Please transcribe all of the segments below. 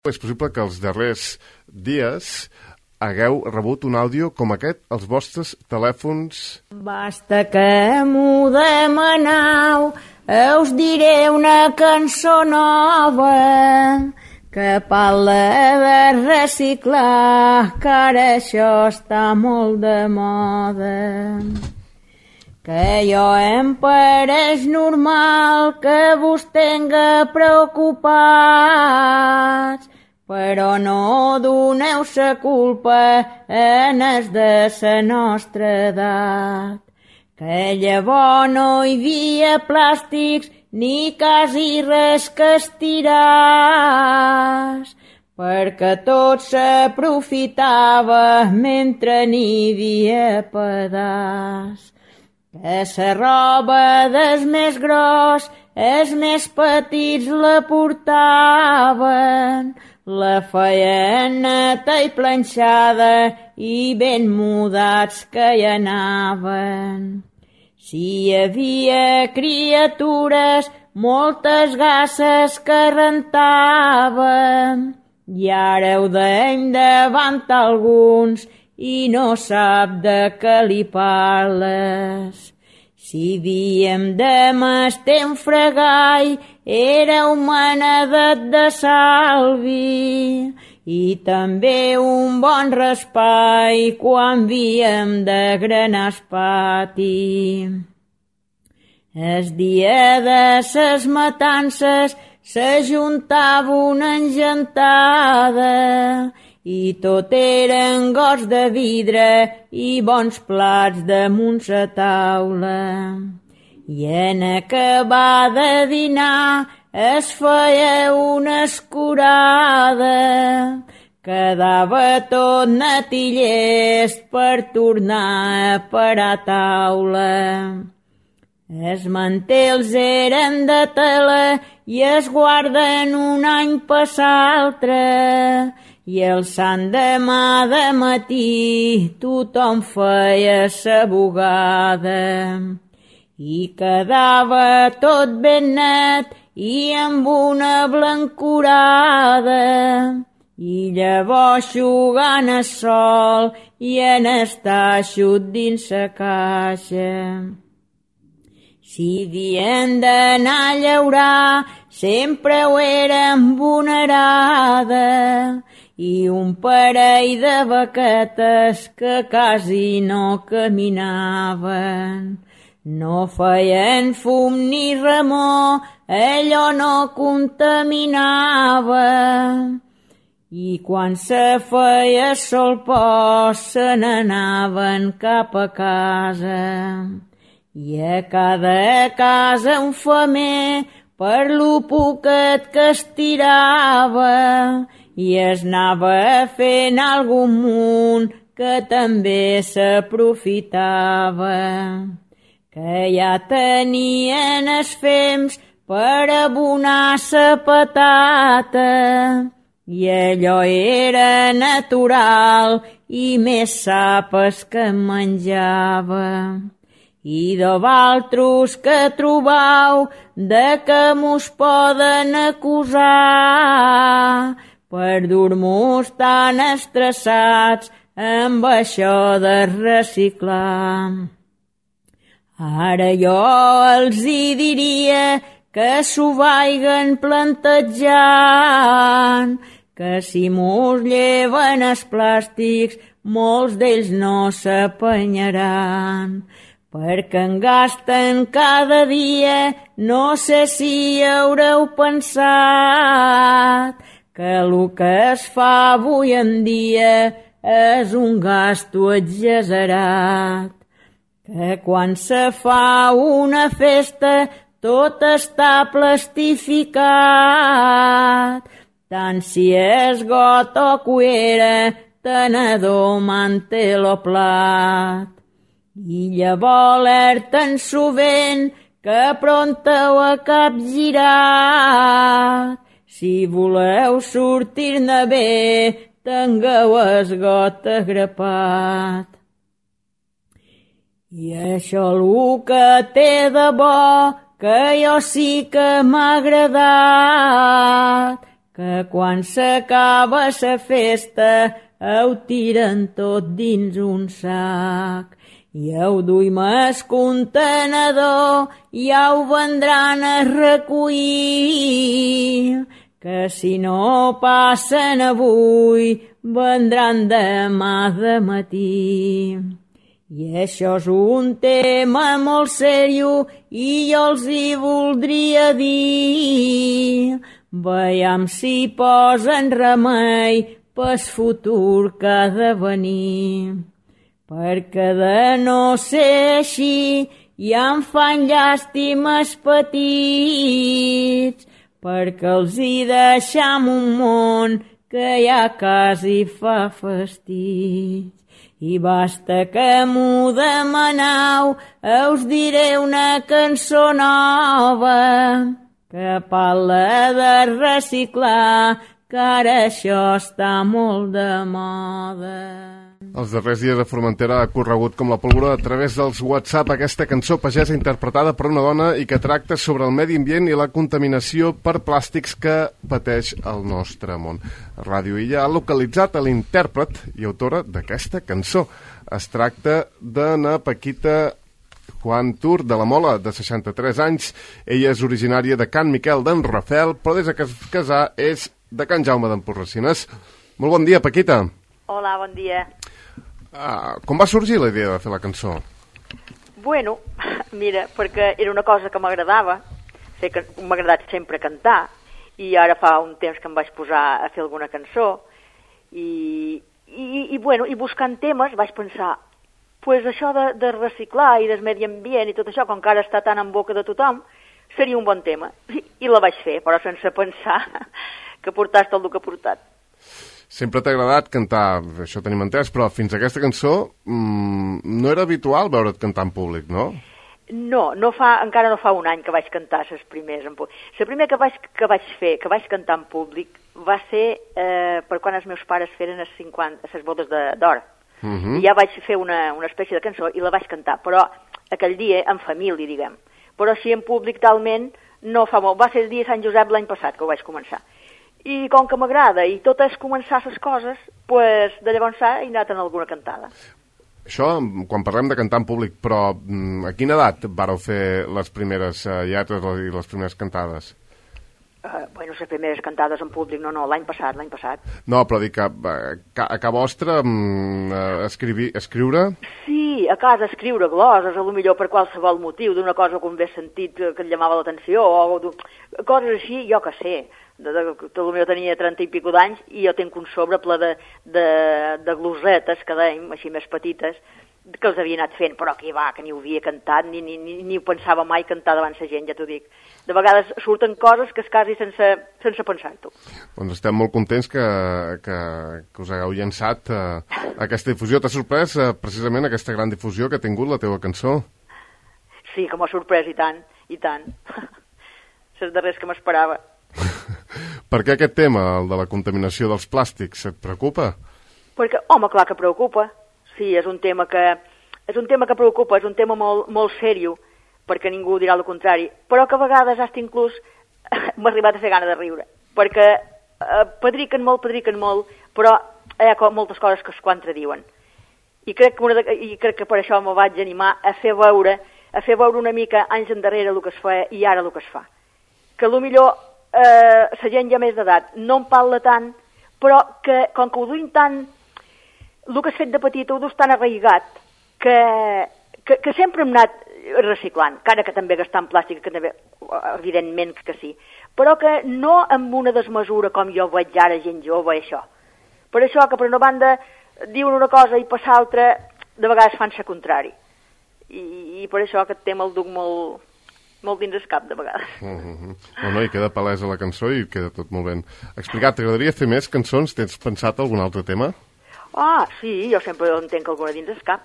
És possible que els darrers dies hagueu rebut un àudio com aquest als vostres telèfons. Basta que m'ho demaneu, us diré una cançó nova que parla de reciclar, que ara això està molt de moda. Que jo em pareix normal que vos tenga preocupats, però no doneu sa culpa en els de sa nostra edat. Que llavors no hi havia plàstics ni quasi res que estiràs, perquè tot s'aprofitava mentre n'hi havia pedaç. Que sa roba dels més gros, els més petits la portaven, la feien neta i planxada i ben mudats que hi anaven. Si hi havia criatures, moltes gasses que rentaven, i ara ho deim davant alguns i no sap de què li parles. Si diem de m'estar un fregall, era un manedet de salvi, i també un bon raspall quan havíem de granar el pati. El dia de ses matances s'ajuntava una engentada, i tot eren gots de vidre i bons plats damunt la taula. I en acabar de dinar es feia una escurada, quedava tot net i llest per tornar a parar taula. Els mantels eren de tela i es guarden un any per l'altre, i el sant demà de matí tothom feia sa bugada. I quedava tot ben net i amb una blancurada, i llavors xugant el sol i en estar eixut dins sa caixa. Si havien d'anar a llaurar, sempre ho eren vulnerada, i un parell de vaquetes que quasi no caminaven. No feien fum ni remor, allò no contaminava, i quan se feia sol pos se n'anaven cap a casa. I a cada casa un femer per lo poquet que estirava, i es anava fent algun munt que també s'aprofitava. Que ja tenien els fems per abonar sa patata, i allò era natural i més sapes que menjava. I de valtros que trobau de que mos poden acusar per dur-mos tan estressats amb això de reciclar. Ara jo els hi diria que s'ho vaiguen plantejant, que si mos lleven els plàstics molts d'ells no s'apanyaran, perquè en gasten cada dia. No sé si haureu pensat que el que es fa avui en dia és un gasto exagerat, que quan se fa una festa tot està plastificat, tant si és got o cuera, tenedor, mantel o plat. I llavors alerten sovint que pronta ho ha capgirat. Si voleu sortir-ne bé, tingueu el got agrapat. I això el que té de bo, que jo sí que m'ha agradat, que quan s'acaba la festa ho tiren tot dins un sac. I ho duim al contenedor i ho vendran a recollir, que si no passen avui vendran demà de matí. I això és un tema molt seriós i jo els hi voldria dir. Veiem si posen remei pel futur que ha de venir. Perquè de no ser així ja em fan llàstimes petits, perquè els hi deixam un món que ja quasi fa fastig. I basta que m'ho demaneu, us diré una cançó nova que parla de reciclar, que ara això està molt de moda. Els darrers dies a Formentera ha corregut com la pólvora a través dels WhatsApp aquesta cançó pagesa interpretada per una dona i que tracta sobre el medi ambient i la contaminació per plàstics que pateix el nostre món. Ràdio Illa ha localitzat a l'intèrpret i autora d'aquesta cançó. Es tracta d'Anna Paquita Juan Tur, de la Mola, de 63 anys. Ella és originària de Can Miquel d'en Rafel, però des que es casà és de Can Jaume d'Emporracinès. Molt bon dia, Paquita. Hola, bon dia. Com va sorgir la idea de fer la cançó? Bueno, mira, perquè era una cosa que m'agradava, m'ha agradat sempre cantar, i ara fa un temps que em vaig posar a fer alguna cançó, i buscant temes vaig pensar, pues això de reciclar i del medi ambient i tot això, com que ara està tan en boca de tothom, seria un bon tema. I la vaig fer, però sense pensar que portàs tot el que ha portat. Sempre t'ha agradat cantar, això tenim entès, però fins a aquesta cançó no era habitual veure't cantar en públic, no? No, encara no fa un any que vaig cantar les primers en públic. La primera que vaig cantar en públic va ser per quan els meus pares feren les bodes d'or. I ja vaig fer una espècie de cançó i la vaig cantar, però aquell dia en família, diguem. Però així en públic talment no fa molt. Va ser el dia de Sant Josep l'any passat que ho vaig començar. I com que m'agrada i tot és començar les coses, pues, de llavors he anat en alguna cantada. Això, quan parlem de cantar en públic, però a quina edat vareu fer les primeres lletres i les primeres cantades? Bueno, les primeres cantades en públic, no, l'any passat. No, però dic que a casa vostra escriure? Sí, a casa escriure gloses, a lo millor per qualsevol motiu, d'una cosa que un ve sentit que et llamava l'atenció, o coses així, jo que sé. Potser tenia 30 i pico d'anys i jo tinc un sobre ple de glosetes, que dèiem, així més petites, que els havia anat fent, però que ni ho havia cantat, ni ho pensava mai cantar davant la gent, ja t'ho dic. De vegades surten coses que és quasi sense pensar-t'ho. Doncs estem molt contents que us hagueu llançat aquesta difusió. T'ha sorprès precisament aquesta gran difusió que ha tingut la teva cançó? Sí, que m'ha sorprès, i tant. Les darreres que m'esperava. Per què aquest tema, el de la contaminació dels plàstics, et preocupa? Perquè, home, clar que preocupa. Sí, és un tema que preocupa, és un tema molt, molt seriós, perquè ningú dirà el contrari, però que a vegades hasta inclús m'ha arribat a fer gana de riure, perquè pedriquen molt, però hi ha moltes coses que es contradiuen. I crec que per això me vaig animar a fer veure una mica anys endarrere el que es feia i ara el que es fa. Que millor la gent ja més d'edat no en parla tant, però que com que ho duim tant, el que has fet de petit ho dus tan arraigat que sempre hem anat reciclant, encara que també gastant plàstic, que també, evidentment que sí, però que no amb una desmesura com jo veig ara gent jove, això. Per això que per una banda diuen una cosa i per l'altra de vegades fan la contrari. I per això aquest tema el duc molt dins el cap, de vegades. No, i queda palesa la cançó i queda tot molt ben explicat. T'agradaria fer més cançons? Tens pensat algun altre tema? Sí, jo sempre en tenc alguna dins el cap.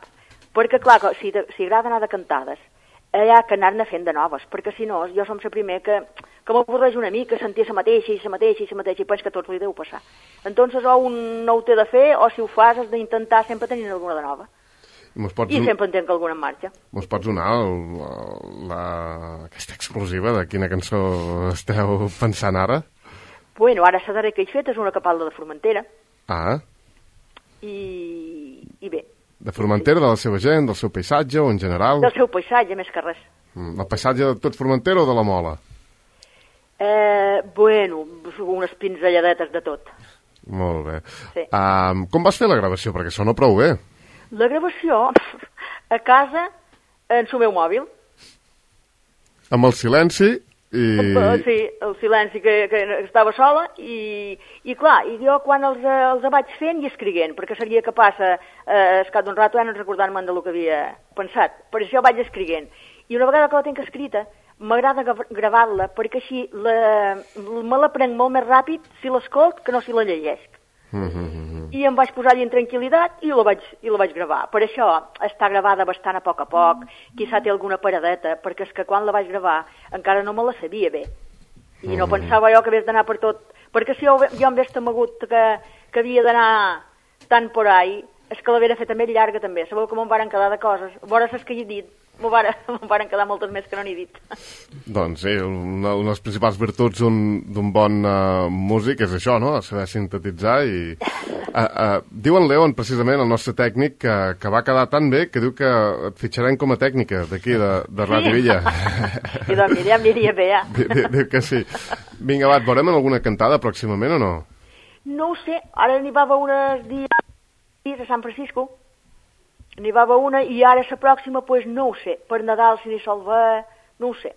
Perquè, clar, si agrada anar de cantades, hi ha que anar-ne fent de noves, perquè si no, jo som la primer que m'avorreix una mica sentir la mateixa i penso que tots li deu passar. Entonces, o un no ho té de fer, o si ho fas has d'intentar sempre tenir alguna de nova. I sempre en tenc alguna en marxa. Mos pots donar aquesta exclusiva de quina cançó esteu pensant ara? Bueno, ara la darrera que he fet és una capalda de Formentera. Ah. I bé. De Formentera, de la seva gent, del seu paisatge o en general? Del seu paisatge, més que res. El paisatge de tot Formentera o de la Mola? Bueno, unes pinzelladetes de tot. Molt bé. Sí. Com vas fer la gravació? Perquè sona prou bé. La gravació a casa, en el meu mòbil. Amb el silenci i... Sí, el silenci que estava sola i clar, i jo quan els vaig fent i escriguent, perquè seria capaç al cap d'un rato no recordar-me'n del que havia pensat. Per això vaig escriguent. I una vegada que la tinc escrita, m'agrada gravar-la perquè així me la prenc molt més ràpid si l'escolt que no si la llegesc. I em vaig posar allà en tranquil·litat i la vaig gravar. Per això està gravada bastant a poc, quizà té alguna paradeta, perquè és que quan la vaig gravar encara no me la sabia bé. I no pensava jo que hagués d'anar per tot, perquè si jo em hagués temegut que havia d'anar tant por ahí, és que l'havia feta més llarga també. Sabeu que me'n varen quedar de coses. A veure les que he dit, me'n varen quedar moltes més que no n'he dit. Doncs sí, una de les principals virtuts d'un bon músic és això, no? Saber sintetitzar i... Diu en Leon, precisament, el nostre tècnic, que va quedar tan bé que diu que et fitxarem com a tècnica d'aquí, de Ràdio Villa. I doncs mira, m'aniria bé, ja. Diu que sí. Vinga, va, et veurem en alguna cantada pròximament o no? No ho sé, ara n'hi va uns dies a Sant Francisco, n'hi va una i ara la pròxima, doncs no ho sé, per Nadal si n'hi sol ver, no ho sé.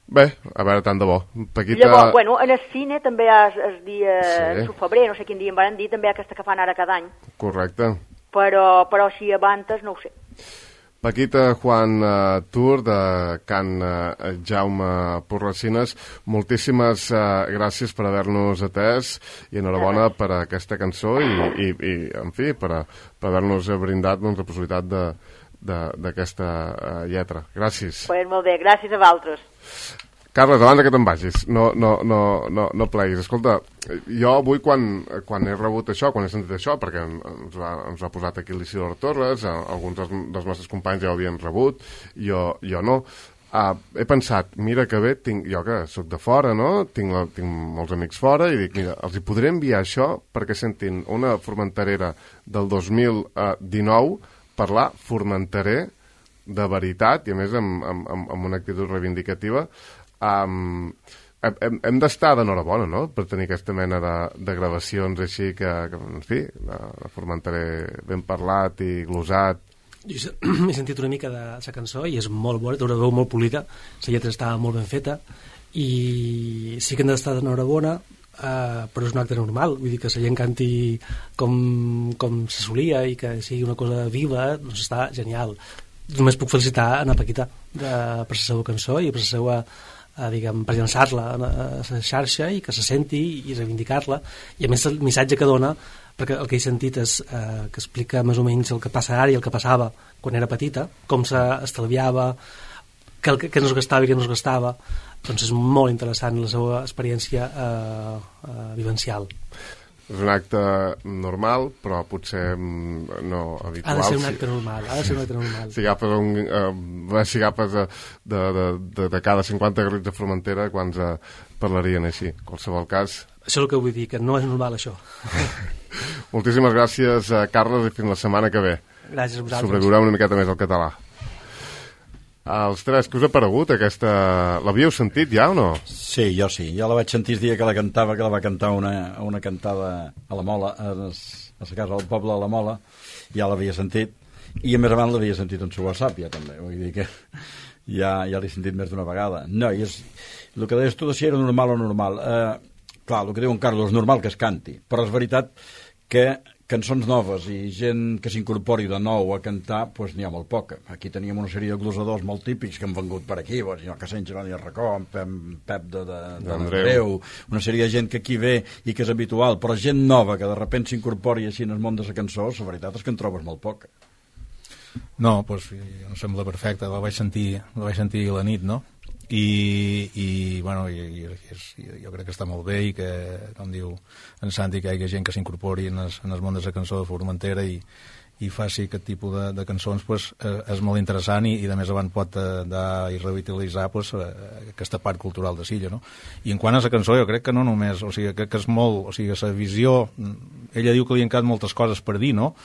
Bé, a veure, tant de bo. Paquita... Llavors, bueno, en el cine també el dia, sí. El febrer, no sé quin dia em van dir, també aquesta que fan ara cada any. Correcte. Però si abantes, no ho sé. Paquita Juan Tur, de Can Jaume Porracines, moltíssimes gràcies per haver-nos atès i enhorabona per aquesta cançó i en fi, per haver-nos brindat la possibilitat d'aquesta lletra. Gràcies. Pues molt bé, gràcies a vosaltres. Carles, abans que te'n vagis, no pleguis. Escolta, jo avui quan he rebut això, quan he sentit això, perquè ens ho ha posat aquí l'Isidor Torres, alguns dels nostres companys ja ho havien rebut, jo no, he pensat, mira que bé, jo que soc de fora, no? Tinc molts amics fora, i dic, mira, els hi podré enviar això perquè sentin una formenterera del 2019 parlar formenterer de veritat, i a més amb una actitud reivindicativa. Hem d'estar d'enhorabona, no?, per tenir aquesta mena de gravacions així que en fi, de formenterer ben parlat i glosat. Jo he sentit una mica de la cançó i és molt bona, té una veu molt polida, la lletra està molt ben feta i sí que hem d'estar d'enhorabona, però és un acte normal, vull dir que la gent canti com se solia i que sigui una cosa viva, doncs està genial. Només puc felicitar a Paquita per la seva cançó i per la seva per llançar-la a la xarxa i que se senti i reivindicar-la, i a més el missatge que dona, perquè el que he sentit és que explica més o menys el que passa ara i el que passava quan era petita, com s'estalviava, què no es gastava i què no es gastava. Doncs és molt interessant la seva experiència vivencial. És un acte normal, però potser no habitual. Ha de ser un acte normal, Si agafes de cada 50 garrits de Formentera, quants parlarien així? En qualsevol cas... Això és el que vull dir, que no és normal, això. Moltíssimes gràcies, Carles, i fins la setmana que ve. Gràcies a vosaltres. Sobreviurà una miqueta més el català. Els tres, què us ha paregut aquesta... L'havíeu sentit ja o no? Sí, jo sí. Jo la vaig sentir el dia que la cantava, que la va cantar una cantada a la Mola, a la casa del poble de la Mola. Ja l'havia sentit. I a més abans l'havia sentit en su WhatsApp, ja també. Vull dir que ja l'he sentit més d'una vegada. No, i és... El que deies tu de si era normal o normal. Clar, el que diu en Carlos, és normal que es canti. Però és veritat que cançons noves i gent que s'incorpori de nou a cantar, doncs n'hi ha molt poca. Aquí teníem una sèrie de glosadors molt típics que han vengut per aquí, el senyor Cassany, Geroni Arracó, en Pep d'Andreu, una sèrie de gent que aquí ve i que és habitual, però gent nova que de sobte s'incorpori així en el món de la cançó, la veritat és que en trobes molt poca. No, doncs em sembla perfecte, la vaig sentir a la nit, no? I bueno, jo crec que està molt bé i que, com diu en Santi, que hi hagi gent que s'incorpori en el món de la cançó de Formentera i i faci aquest tipus de cançons, pues, és molt interessant i a més abans pot dar i revitalitzar pues, aquesta part cultural de Silla, no? I en quant a la cançó, jo crec que no només, o sigui, crec que és molt, o sigui, la visió, ella diu que li han quedat moltes coses per dir, no?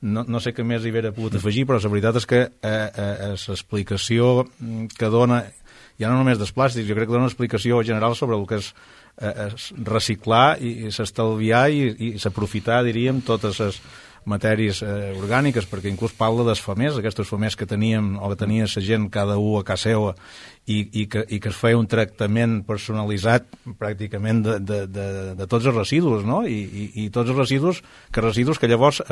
No sé què més hi hauria pogut afegir, però la veritat és que l'explicació que dona, ja no només dels plàstics, jo crec que dona una explicació general sobre el que és reciclar i s'estalviar i s'aprofitar, diríem, totes les matèries orgàniques, perquè inclús parla dels famers, aquests famers que teníem o que tenia la gent cada un a casa seva i que es feia un tractament personalitzat pràcticament de tots els residus, no? I tots els residus que llavors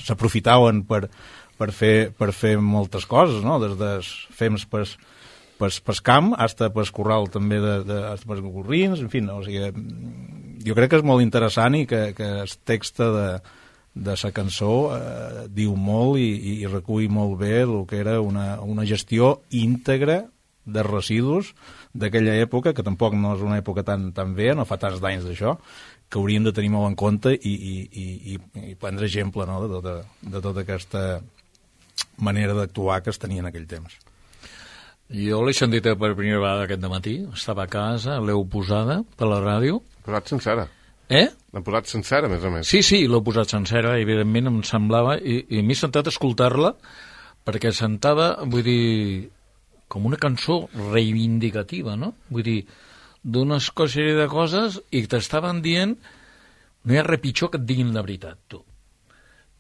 s'aprofitaven per fer moltes coses, no? Des dels fems per camp fins per corral també per gorrins, en fi, no? O sigui, jo crec que és molt interessant i que el text de la cançó diu molt i recull molt bé el que era una gestió íntegra de residus d'aquella època, que tampoc no és una època tan bé, no fa tants d'anys d'això, que hauríem de tenir molt en compte i prendre exemple, no? de tota aquesta manera d'actuar que es tenia en aquell temps. Jo l'he sentit per primera vegada aquest dematí, estava a casa, l'heu posada per la ràdio. Posat sencera. L'hem posat sencera, a més a més. Sí, l'he posat sencera, evidentment em semblava, i m'he sentat a escoltar-la, perquè sentava, vull dir, com una cançó reivindicativa, no? Vull dir, d'una sèrie de coses i t'estaven dient, no hi ha res pitjor que et diguin la veritat, tu.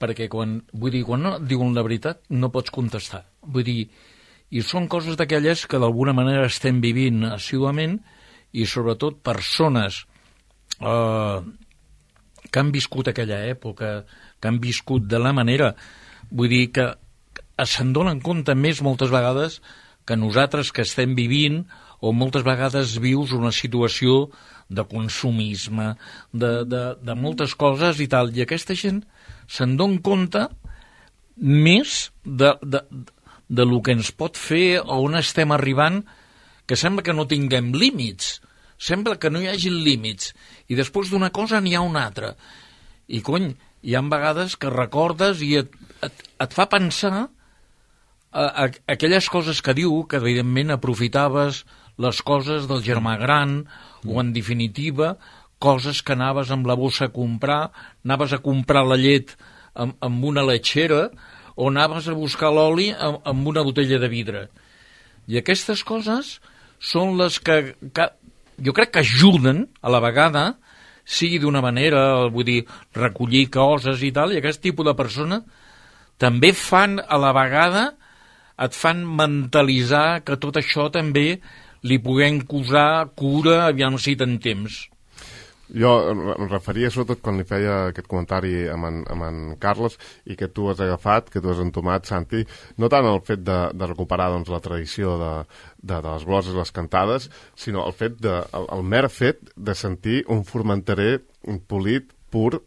Perquè quan no et diuen la veritat no pots contestar. Vull dir, i són coses d'aquelles que d'alguna manera estem vivint assiduament i sobretot persones que han viscut aquella època, que han viscut de la manera, vull dir que se'n donen compte més moltes vegades que nosaltres que estem vivint o moltes vegades vius una situació de consumisme, de moltes coses i tal, i aquesta gent se'n dona compte més de lo que ens pot fer o on estem arribant, que sembla que no tinguem límits, sembla que no hi hagi límits, i després d'una cosa n'hi ha una altra. I, cony, hi ha vegades que recordes i et fa pensar aquelles coses que diu, que evidentment aprofitaves les coses del germà gran, o en definitiva, coses que anaves amb la bossa a comprar, anaves a comprar la llet amb una letxera, o anaves a buscar l'oli amb una botella de vidre. I aquestes coses són les que jo crec que ajuden a la vegada, sigui d'una manera, vull dir, recollir coses i tal, i aquest tipus de persona també fan a la vegada, et fan mentalitzar que tot això també li puguem posar cura, aviam si te'n temps. Jo em referia sobretot quan li feia aquest comentari amb en Carles i que tu has agafat, que tu has entomat, Santi, no tant el fet de recuperar doncs, la tradició de les gloses, les cantades, sinó el mer fet de sentir un formenterer polit, pur,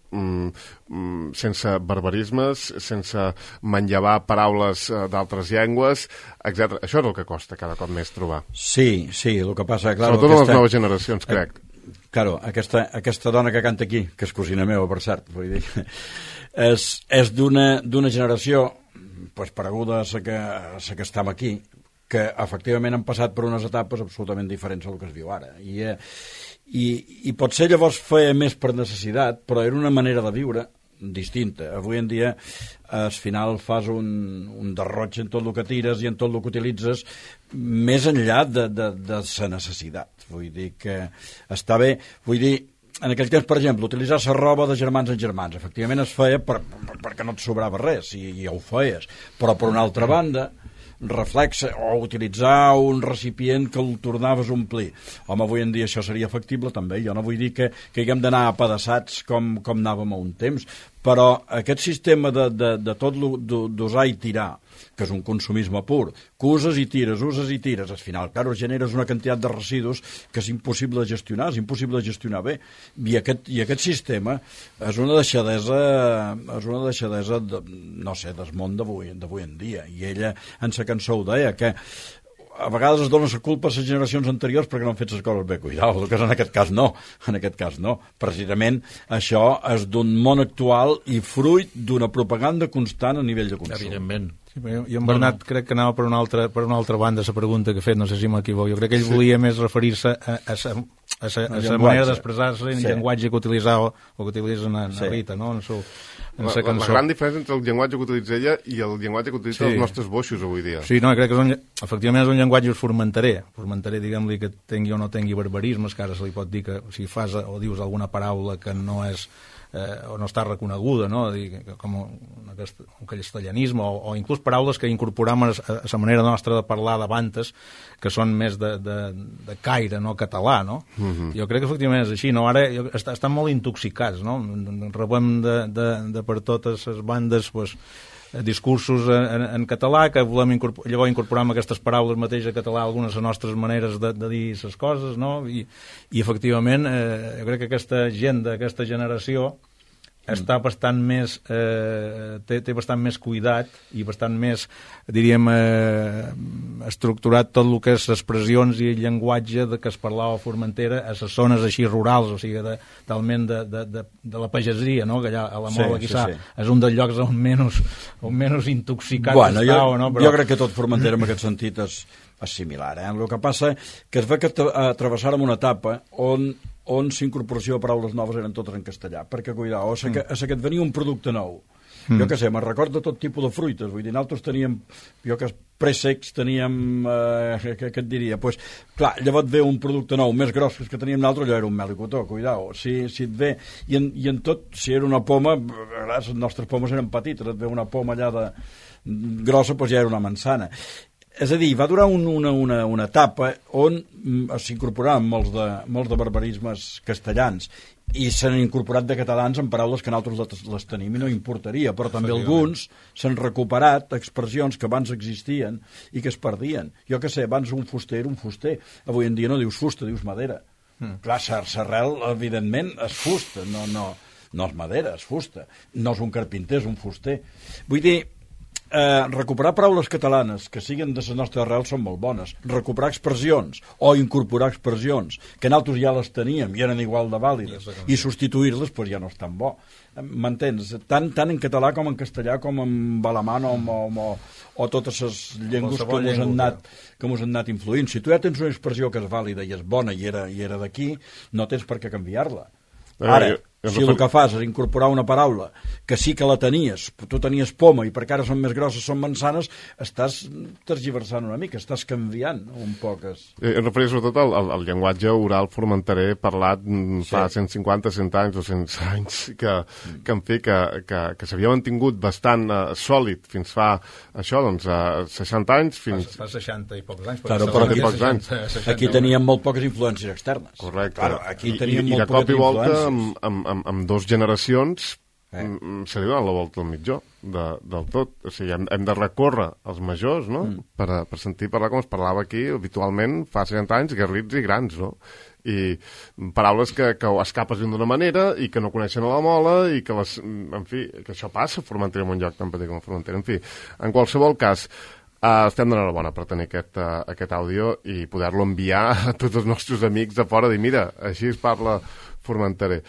sense barbarismes, sense manllevar paraules d'altres llengües, etc. Això és el que costa cada cop més trobar. Sí, el que passa... Clar, sobretot les noves generacions, crec. Claro, aquesta dona que canta aquí, que és cosina meva, per cert, vull dir, és d'una generació pues, pareguda a la que estem aquí, que efectivament han passat per unes etapes absolutament diferents del que es viu ara. I potser llavors feia més per necessitat, però era una manera de viure distinta. Avui en dia al final fas un derroig en tot el que tires i en tot el que utilitzes més enllà de la necessitat. Vull dir que està bé, vull dir, en aquell temps, per exemple, utilitzar la roba de germans en germans, efectivament es feia perquè no et sobrava res, i ja ho feies, però per una altra banda reflexa, o utilitzar un recipient que el tornaves a omplir. Home, avui en dia això seria factible també, jo no vull dir que haguem d'anar apedaçats com anàvem a un temps, però aquest sistema de tot d'usar i tirar, que és un consumisme pur, que uses i tires, al final, clar, generes una quantitat de residus que és impossible de gestionar, és impossible de gestionar bé, i aquest sistema és una deixadesa no sé, del món d'avui en dia, i ella en sa cançó ho deia, que a vegades es dona la culpa a les generacions anteriors perquè no han fet les coses bé. Cuidao, que en aquest cas no. En aquest cas no. Precisament això és d'un món actual i fruit d'una propaganda constant a nivell de consum. Evidentment. Sí, jo en Bernat crec que anava per una altra banda la pregunta que ha fet, no sé si m'equivoco. Jo crec que ell volia més referir-se a la manera d'expressar-se en el llenguatge que utilitzava o que utilitza na Rita, no? La gran diferència entre el llenguatge que utilitza ella i el llenguatge que utilitzen els nostres boixos avui dia. Sí, no, crec que efectivament és un llenguatge formentaré, diguem-li que tingui o no tingui barbarismes, que ara se li pot dir que si fas o dius alguna paraula que no és o no està reconeguda, no? Com un castellanisme o inclús paraules que incorporam a la manera nostra de parlar d'abans, que són més de caire, no català, no? Jo crec que efectivament és així, no? Ara estan molt intoxicats, no? Rebem de per totes les bandes discursos en català que volem llavors incorporar aquestes paraules mateix a català algunes de les nostres maneres de dir les coses, no? I efectivament jo crec que aquesta gent d'aquesta generació està bastant més té bastant més cuidat i bastant més, diríem, estructurat tot el que és expressions i el llenguatge que es parlava a Formentera a les zones així rurals, o sigui, talment de la pagesia, no? Que allà a la Mola quizà és un dels llocs on menys intoxicat està, o no? Jo crec que tot Formentera en aquest sentit és similar, eh? El que passa que es ve que travessàrem una etapa on s'incorporació de paraules noves eren totes en castellà, perquè, cuidao, a que et venia un producte nou. Jo què sé, me'n recordo tot tipus de fruites, vull dir, nosaltres teníem, pressecs, teníem, què et diria, doncs, clar, llavors ve un producte nou, més gros que teníem nosaltres, allò era un mel i cotó, cuidao, si et ve, i en tot, si era una poma, les nostres pomes eren petites, et ve una poma allà grossa, doncs ja era una manzana. És a dir, va durar una etapa on s'incorporaven molts de barbarismes castellans i s'han incorporat de catalans en paraules que nosaltres les tenim i no importaria, però també alguns s'han recuperat expressions que abans existien i que es perdien. Jo què sé, abans un fuster era un fuster, avui en dia no dius fusta, dius madera. Clar, l'arrel, evidentment, és fusta, no és madera, és fusta. No és un carpinter, és un fuster. Vull dir, recuperar paraules catalanes que siguin de la nostra arrel són molt bones. Recuperar expressions o incorporar expressions que nosaltres ja les teníem i eren igual de vàlides i substituir-les doncs ja no és tan bo. M'entens? Tant en català com en castellà com en alemany o totes les llengües que mos han anat influint. Si tu ja tens una expressió que és vàlida i és bona i era d'aquí, no tens per què canviar-la. Ara, si el que fas és incorporar una paraula que sí que la tenies, tu tenies poma i perquè ara són més grosses, són manzanes, estàs tergiversant una mica, estàs canviant un poc. Em referia sobretot al llenguatge oral formentaré parlat fa 150, 100 anys o 100 anys que en fi, que s'havia mantingut bastant sòlid fins fa això, doncs, 60 anys fins... Fa 60 i pocs anys. Però aquí teníem molt poques influències externes. Correcte. Claro, aquí teníem molt poques influències. Amb dos generacions se li dona la volta al mitjó del tot. O sigui, hem de recórrer als majors, no? Per sentir parlar com es parlava aquí habitualment fa 60 anys, garrits i grans, no? I paraules que escapes d'una manera i que no coneixen a la Mola i que en fi, que això passa a Formentera, en un lloc tan petit com a Formentera. En fi, en qualsevol cas, estem d'enhorabona per tenir aquest àudio i poder-lo enviar a tots els nostres amics de fora, dir, mira, així es parla formentaré.